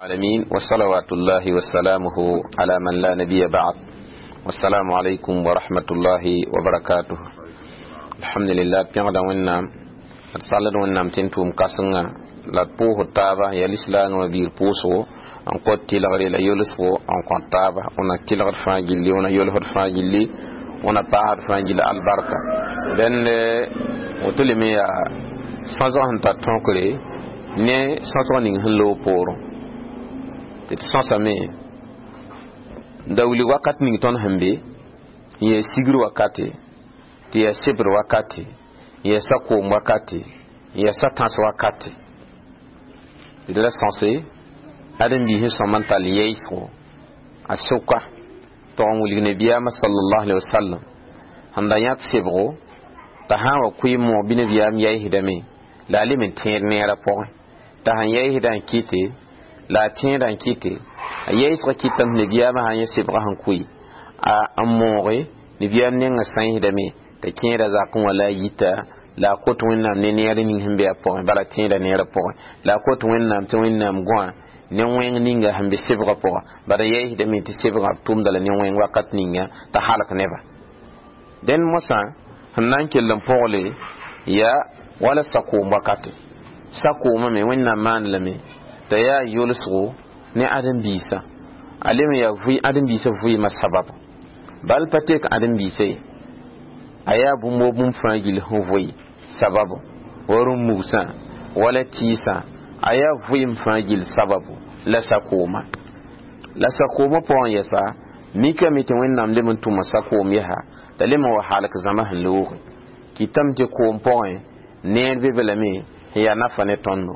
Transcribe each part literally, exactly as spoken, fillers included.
العالمين وصلوات الله وسلامه على من لا نبي بعد والسلام عليكم ورحمة الله وبركاته الحمد لله pẽgda wẽnnaam d sald wẽnnaam tɩ n tʋʋm kãsenga la d pʋʋsd taaba yaa lislaangã biir pʋʋsgo n kõt tɩlgre la yolsgo n kõt taaba wẽna tɩlgd fãa gilli wẽna yolsd fãa gilli wẽna paasd fãa gilli albarka dẽnd woto leme yaa sõsg sẽn tar tõkre ne sõsg ning sẽn loog poorẽ tɩ d sõsame da wilg wakat ning tõnd sẽn be n yaa sigr wakate tɩ yaa sebr wakate n yaa sa-koom wakate n yaa sa-tãs wakate tɩ d ra sõse ãdem-biis sẽn sõm n tall yɛɩsgo a sʋka tog n wilg nabiyaamã sallallahu alaihi wasallam sẽn da yãt sebgo t'a sã n wa kʋɩ moog bɩ nabiyaam yɛɩsdame la a lem n tẽed neerã pʋgẽ t'a sẽn yɛɩsdã n kɩte la a tẽedã n kɩte a yɛɩsgã kɩtame nabiyaamã sã n yẽ sebgã sẽn kʋɩ a n mooge nabiyaam nengã sãiisdame t'a kẽeda zakẽ wã la a yita la a kot wẽnnaam ne neer ning sẽn be a pʋgẽ bala tẽeda neerã pʋgẽ la a kot wẽnnaam tɩ wẽnnaam gõa ne wẽng ninga sẽn be sebgã pʋga bala yɛɩsdame tɩ sebgã b tʋmda la ne wẽng wakat ninga t'a halk neba dẽnd mosã sẽn na n kell n pʋgle yaa wala sakoom wakate sakoomã me wẽnnaam maan lame t'a yaa yolsgo ne ãdem-biisã a lem yaa ãdem-biisã vɩɩmã sababu bal pa tek ãdem-biisã ye a yaa bũmb wo bũmb fãa gill sẽn vʋɩ sababu wa rũ-mugsã wala tɩɩsã a yaa vɩɩm fãa gill sababu la sakooma la sakoomã pʋgẽ yɛsa mikame tɩ wẽnnaam lem n tʋma sakoom yɛsa t'a lem n wa halk zãma sẽn looge kɩtame tɩ koom pʋgẽ neer be be lame sẽn yaa nafa ne tõndo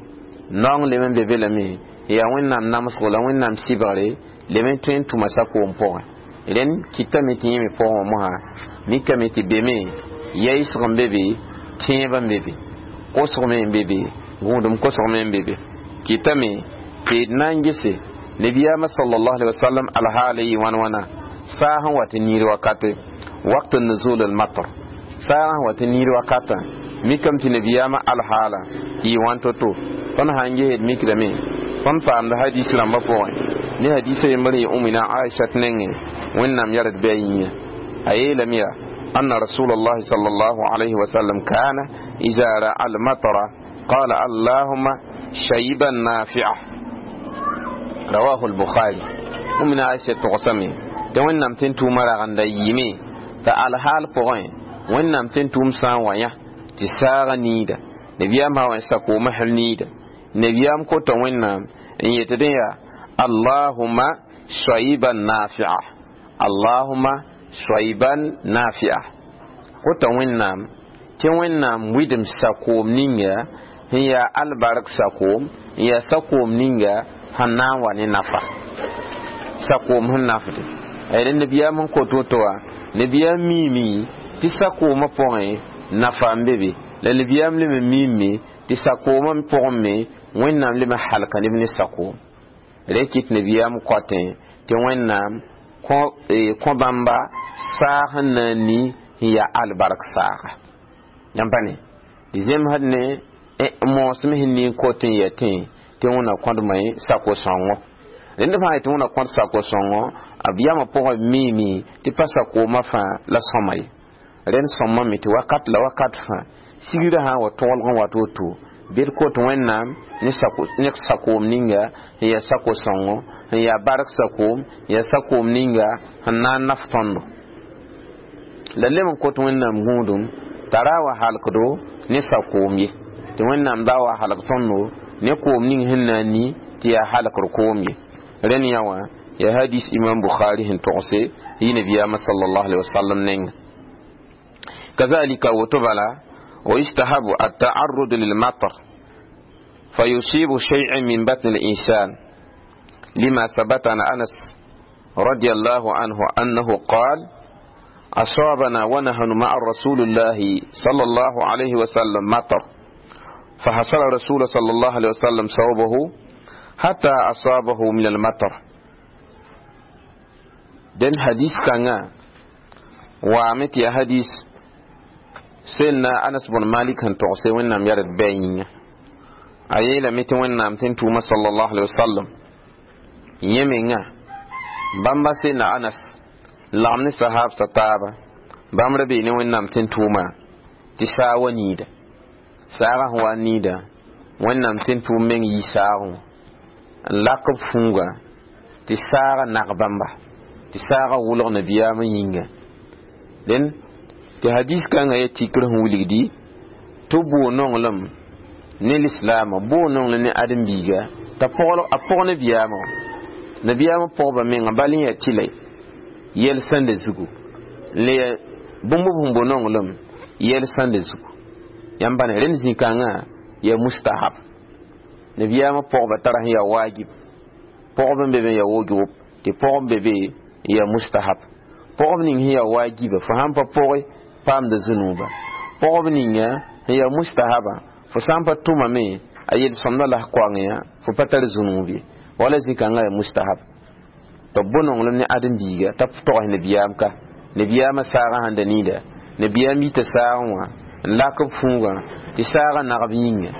naong lem n be be lame yaa wẽnnaam namsgo la wẽnnaam sɩbgre lem n tõe n tʋma sakoom pʋgẽ rẽnd kɩtame tɩ yẽ me pʋgẽ wã mosã mikame tɩ beme yɛɩsg n be be tẽeb n be be kosg me n be be gũudum kosg me n be be kɩtame tɩ d na n gese nabiyaamã sallallahu alaihi wasallam alhaala yɩ wãn wãna saag sẽn wa tɩ niir wakate waqt nuzul al-matar saag sẽn wa tɩ niir wakatã mikame tɩ nabiyaamã alhaala yɩ wãn to-to tõnd sã n gesd mikdame tõnd paamda hadis rãmbã pʋgẽ ne hadisa yembr yɩ umina aishat nengẽ wẽnnaam yared bɩ a yĩnga a yeelame yaa أن رسول الله صلى الله عليه وسلم كان إذا رأى المطر قال اللهم شيبا نافعا رواه البخاري ومن عائشة تقسمي te wẽnnaam tɩ n tʋʋmã ragenda yɩɩme t'a alhaal pʋgẽ wẽnnaam tɩ n tʋʋm sã n wa yã tɩ saagã niida nabiyaam sã wa sakoomã sẽn niida nabiyaam kota wẽnnaam n yetɩ dẽ yaa allahuma soyiban nafia allahuma soyiban nafia kota wẽnnaam tɩ wẽnnaam wɩdem sakoom ninga sẽn yaa albark sakoom n yaa sakoom ninga sẽn na n wa ne nafa sakoom sẽn nafde ayda nabiyaam sẽn kot woto wã nabiyaam miime tɩ sakoomã pʋgẽ nafa n be be la nabiyaam lem n miime tɩ sakoomã pʋgẽ me wẽnnaam lem n halka neb ne sakoom rẽ kɩt nabiyaam koatẽ tɩ wẽnnaam kõ bãmba saag sẽn na n ni n yaa albark saaga yãmb pa ne tɩ zemsd ne moosme sẽn ning kot n yaa tẽ tɩ wẽnna kõdmã sako-sõngo rẽnd fãa yetɩ wẽnna kõd sako-sõngo b yamã pʋgẽ miime tɩ pa sakoomã fãa la sõma ye rẽnd sõmame tɩ wakat la wakat fãa sigrã sã n wa tõgelg n wat woto bɩ d kot wẽnnaam ne sakoom ninga sẽn yaa sako-sõngo sẽn yaa bark sakoom yaa sakoom ninga sẽn na n naf tõndo la lem n kot wẽnnaam gũudum t'a ra wa halkdo ne sakoom ye tɩ wẽnnaam da wa halk tõndo ne koom ning sẽn na n ni tɩ yaa halkr koom ye rẽnd yã wã yaa hadis imam bukhari sẽn togse yɩ nabiyaamã sallallahu alaihi wasallam nenga kazalika woto bala ويستحب التعرض للمطر فيصيب شيئا من بطن الإنسان لما ثبت عن أنس رضي الله عنه أنه قال أصابنا ونحن مع رسول الله صلى الله عليه وسلم مطر فحصل رسول صلى الله عليه وسلم ثوبه حتى أصابه من المطر den hadis kanga waame tɩ ya hadis sẽnna anas bn malik sẽn togse wẽnnaam yared bɩ a yĩnga a yeelame tɩ wẽnnaam tɩ n tʋʋma sallallahu alaihi wasallam Yẽ menga bãmba sẽnna Anas lagm ne sahab sa taaba bãmb ra bee ne Wẽnnaam tẽn-tʋʋma tɩ saag wa niida saagã sẽn wa n niida Wẽnnaam tẽn-tʋʋm meng yii saagẽ wã n lak b fũuga tɩ saagã nag bãmba tɩ saagã wʋlg nabiyaamã yĩnga dẽn tɩ hadis kãngã yaa tikr sẽn wilgdi tɩ bʋʋ nonglem ne lislaamã bʋʋ nonglem ne ãdem-biiga t'a a pʋg nabiyaamã wã nabiyaamã pʋgba menga bal n yaa tɩla yɛl sãnda zugu n le yaa bũmb b sẽn bo nonglem yɛl sãnda zugu yãmb bãne rẽnd zĩ-kãngã yaa mustahab nabiyaamã pʋgba tara sẽn yaa wajib pʋgb n be be n yaa wujub tɩ pʋgb be be n yaa mustahab pʋgb ning sẽn yaa wajiba fo sãn pa pʋge paamda zũnuuba pʋgb ninga sẽn yaa mustahaba fo sã n pa tʋmame a yel-sõmda la koang yã fo pa tar zũnuub ye wala zĩ-kãngã yaa mustahab tɩ b bʋ nonglem ne ãdem-biiga t'a togs nabiyaam ka nabiyaamã saagã sãn da niida nabiyaam yita saagẽ wã n lak b fũugã tɩ saagã nagb yĩnga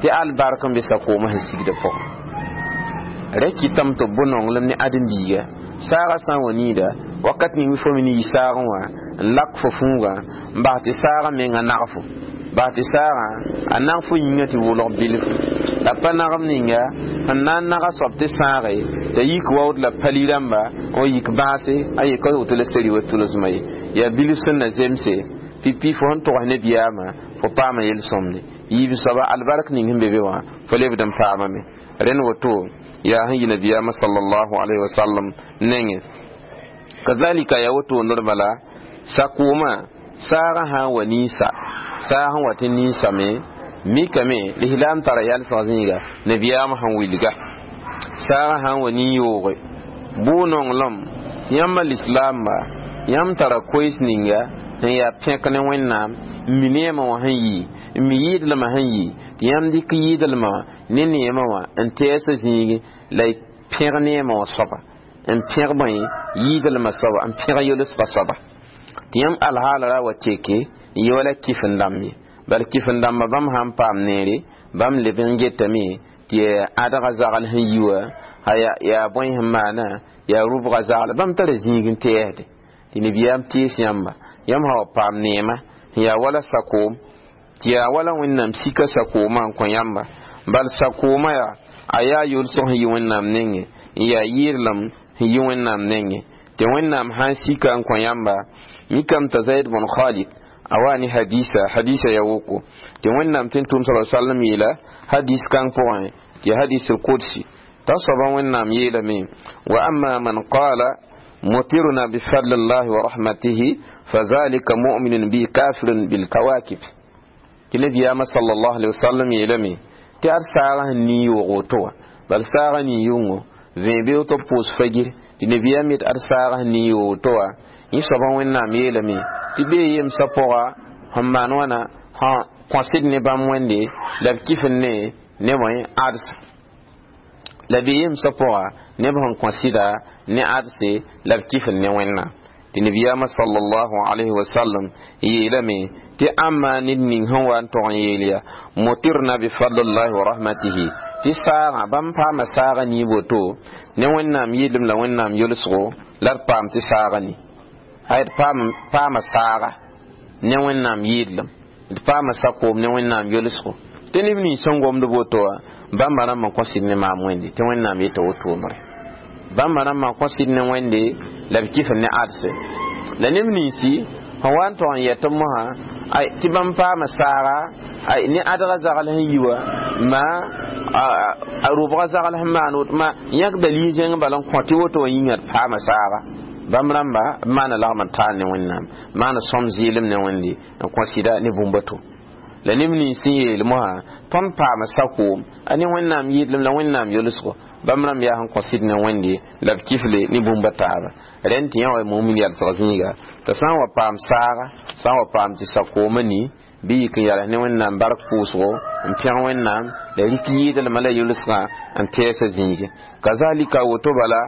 tɩ albark n be sakoomã sẽn sigda pʋgẽ ra kɩtame tɩ b bʋ nonglem ne ãdem-biiga saagã sã n wa niida wakat ning fo me ne yi saagẽ wã n lak fo fũugã n bas tɩ saagã menga nag fo bas tɩ saagã a nag fo yĩngã tɩ wʋlg bilfu la pa nagem ninga sẽn na n naga soab tɩ sãage t'a yik waood la pali rãmba n yik bãase a yeka woto la seri wa tʋlsmã ye yaa bilf sẽn na zemse pipi fo sẽn togs nebiyaamã fo paama yel-sõmde yiib soaba albark ning sẽn be be wã fo lebd n paamame rẽnd woto yaa sẽn yi nabiyaamã sallallahu alaihi wasallam nengẽ kazalika yaa woto ned bala sakoomã saagã sã n wa ninsa saag sẽn wa tɩ ninsame mikame lislaam tara yalsg zĩiga nabiyaamã sẽn wilga saagã sã n wa nin-yooge bʋʋ nonglem tɩ yãmba lislaamba yãmb tara koees ninga sẽn yaa pẽk ne Wẽnnaam n mi neemã wã sẽn yɩ n mi yɩɩdlmã sẽn yɩ tɩ yãmb dɩk yɩɩdlmã wã ne neemã wã n tɛɛsã zĩigi la y pẽg neemã wã soaba n pẽg bõe yɩɩdlmã soaba n pẽg yolsgã soaba tɩ yãmb alhaala ra wa teke n yɩ wala kɩf n dãmb ye bal kɩf n dãmbã bãmb sãn paam neere bãmb leb n getame tɩ ãdga zagl sẽn yi wã yaa bõe sẽn maana yaa rʋbga zagl bãmb tara zĩig n tɛɛsde tɩ nabiyaam tees yãmba yãmb sã wa paam neema sẽn yaa wala sakoom tɩ yaa wala Wẽnnaam sika sakoomã n kõ yãmba bal sakoomã yaa a yaa yolsg sẽn yi Wẽnnaam nengẽ n yaa yɩɩrlem sẽn yi Wẽnnaam nengẽ tɩ Wẽnnaam sãn sika n kõ yãmba mikame t'a Zaid bn Khalid a wa ne hadisa hadisa ya woko tɩ Wẽnnaam tɩ n tʋm sa sallam yeela hadis kãng pʋgẽ tɩ hadis al-qudsi t'a soaba Wẽnnaam yeelame wa amma man qala mutirna bifadli llahi wa rahmatihi fadhalika mu'minun bi kafirun bilkawakib tɩ nabiyaamã sallallahu alaihi wasallam yeelame tɩ ad saagã sẽn nii yoog woto wã bal saagã nii yʋngo vẽe beoog tɩ b pʋʋs fagir tɩ nabiyaam yet ad saagã sẽn nii yoog woto wã yẽ soabã Wẽnnaam yeelame tɩ bee yemsã pʋga sẽn maan wãna sã kõsd ne bãmb wẽnde la b kɩf n ne ne bõe adsa la bee yemsã pʋga neb sẽn kõsɩda ne adse la b kɩf n ne Wẽnnaam tɩ nabiyaamã sallallahu alayhi wa sallam yeelame tɩ ãmba ned ning sẽn wa n tog n yeel yaa mutirna bifadlillahi wa rahmatihi tɩ saagã bãmb paama saagã nii woto ne Wẽnnaam yɩɩlem la Wẽnnaam yolsgo la d paam tɩ saagã ni ay d paama saaga ne Wẽnnaam yɩɩdlem d paama sakoom ne Wẽnnaam yolsgo tɩ neb nins sẽn gomd woto wã bãmba rãmb n kõsd ne maam wẽnde tɩ Wẽnnaam yeta wotoomre bãmba rãmb n kõsd ne wẽnde la b kɩf ne adse la neb ninsi sẽn wa n tog n yɛt mosã ay tɩ bãmb paama saaga ay ne adga zagl sẽn yi wã ma a rʋbga zagl sẽn maan woto ma yãk dalil zẽng bala n kõ tɩ woto wã yĩnga d paama saaga bãmb rãmba b maana lagm n taal ne Wẽnnaam maana sõm zɩɩlem ne Wẽnde n kõ sɩda ne bũmb to la neb nins sẽn yeel mosã tõnd paama sakoom a ne Wẽnnaam yɩɩdlem la Wẽnnaam yolsgo bãmb rãmb yaa sẽn kõ sɩd ne Wẽnde la b kifle ne bũmba taaba rẽnd tɩ yã wa mumin yalsg zĩiga t'a sã n wa paam saaga sã n wa paam tɩ sakoomã ni bɩ yik n yals ne Wẽnnaam bark pʋʋsgo n pẽg Wẽnnaam la rik yɩɩdlmã la yolsgã n tɛɛsã zĩige kazalika woto bala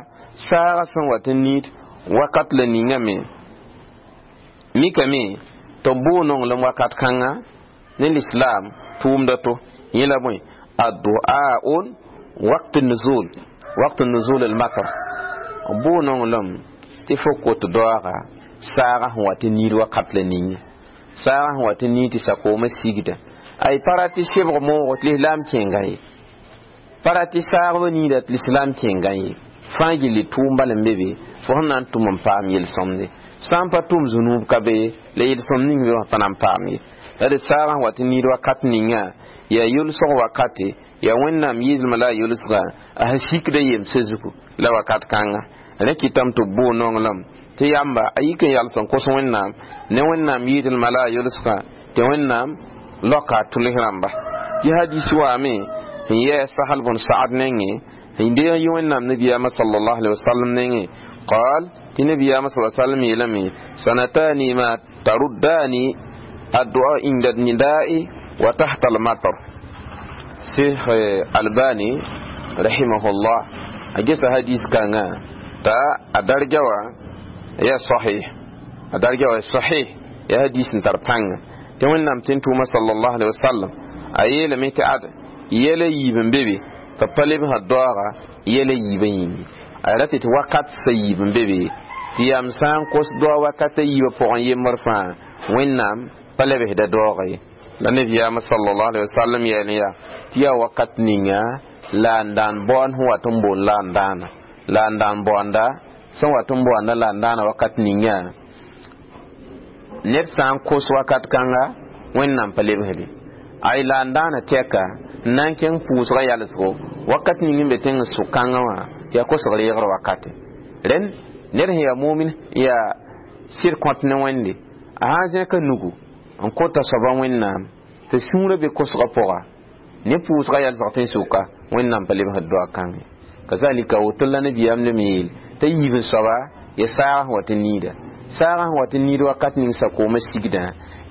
saaga sẽn wat n niid wakat la ningame mikame tɩ b bʋʋ nonglem wakat kãnga ne lislaam tʋʋmda to yẽ la bõe addu'aun waqt nuzul وقت نزول المطر bʋ nonglem tɩ fo kot doaga saaga sẽn wa tɩ niid wakat la ning saaga sẽn wa tɩ niid tɩ sakoomã sigda ay pa rat tɩ sebg moogo tɩ lislaam kẽnga ye pa rat tɩ saagba niida tɩ lislaam kẽnga ye fãa gilli tʋʋm bal n be be fo sẽn na n tʋm n paam yel-sõmde sã n pa tʋm zũnuub ka be la yel-sõmd ning be wã pa na n paam ye la d saaga sẽn wa tɩ niid wakat ninga yaa yʋlsg wakate yaa wẽnnaam yɩɩdlmã la a yʋlsga a sẽn sikda yemsã zugu la wakat kãnga rẽ kɩtame tɩ b bʋ nonglem tɩ yamba a yik n yals n kos wẽnnaam ne wẽnnaam yɩɩdlmã la a yʋlsga tɩ wẽnnaam loka a tʋls rãmba tɩ hadis waame n yɛɛ sahal bn saad nengẽ n deeg yɩ wẽnnaam nabiyaamã sallallahu alaihi wasallam nengẽ qaal tɩ nabiyaamã sa sallam yeelame sanatani ma taruddani الدعاء عند النداء وتحت المطر شيخ الباني رحمه الله أجلس حديث كان تا أدرجة يا صحيح أدرجة صحيح يا حديث تربان تمن نام تنتوما صلى الله عليه وسلم أيلا ميت عد يلا يبن بيبي تطلب هالدعاء يلا يبن يمي أردت وقت سيبن بيبي تيام سان قص دعاء وقت يبن فوق يمر فان وين نام pa lebsda doogã ye la nabiyaamã sallallahu alaihi wasallam yɛl yaa tɩ yaa wakat ninga la n daan baoond sẽn wat n boond la n daana la n daan baoanda sẽn wat n baoanda la n daana wakat ninga ned sã n kos wakat kãnga wẽnnaam pa lebsde ay la n daana tɛka n na n kẽng pʋʋsgã yalsgo wakat ning n be tẽng sʋk kãngã wã yaa kosg reegr wakate rẽnd ned sẽn yaa momin yaa sɩd kõt ne wẽnde a sã n zẽka nugu n kota soaba wẽnnaam tɩ sũurã be kosgã pʋga ne pʋʋsgã yalsg tɩ n sʋka wẽnnaam pa lebsd doa kãngẽ kazalika woto la nabiyaam lem yeel t'a yiib n soaba ya saagã sẽn wa tɩ niida saagã sẽn wa tɩ niid wakat ning sakoomã sigdã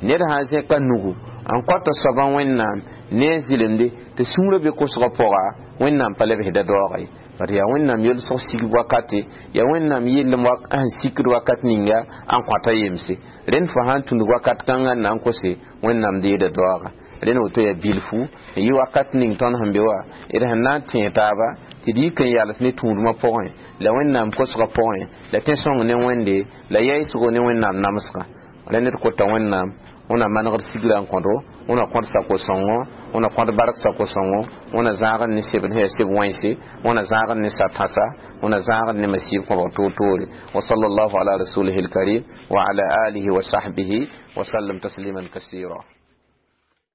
ned sã n zẽka nugu n kõta soabã wẽnnaam ne a zɩlemde tɩ sũurã be kosgã pʋga wẽnnaam pa lebsda doooga ye bat yaa wẽnnaam yolsg sigb wakate yaa wẽnnaam yellem sẽn sikd wakat ninga n kõta yemse rẽnd fo sã n tũnd wakat kãngã n na n kose wẽnnaam deeda doaga rẽnd woto yaa bilfu n yɩ wakat ning tõnd sẽn be wã d sẽn na n tẽeg taaba tɩ d yik n yals ne tũudmã pʋgẽ la wẽnnaam kosgã pʋgẽ la tẽ-sõng ne wẽnde la yaɩsgo ne wẽnnaam namsgã rẽnd d kota wẽnnaam wẽna manegd sigrã n kõdo wẽna kõd sako-sõngo wẽna kõd bark sako-sõngo wẽna zãagd ne sebd sẽn yaa seb wãnse wẽna zãagd ne sa-tãsa wẽna zãagd ne masiib kõbg toor-toore wa sallallahu ala rasulihi lkarim wa ala alihi wa sahbihi wa sallam tasliman kasira.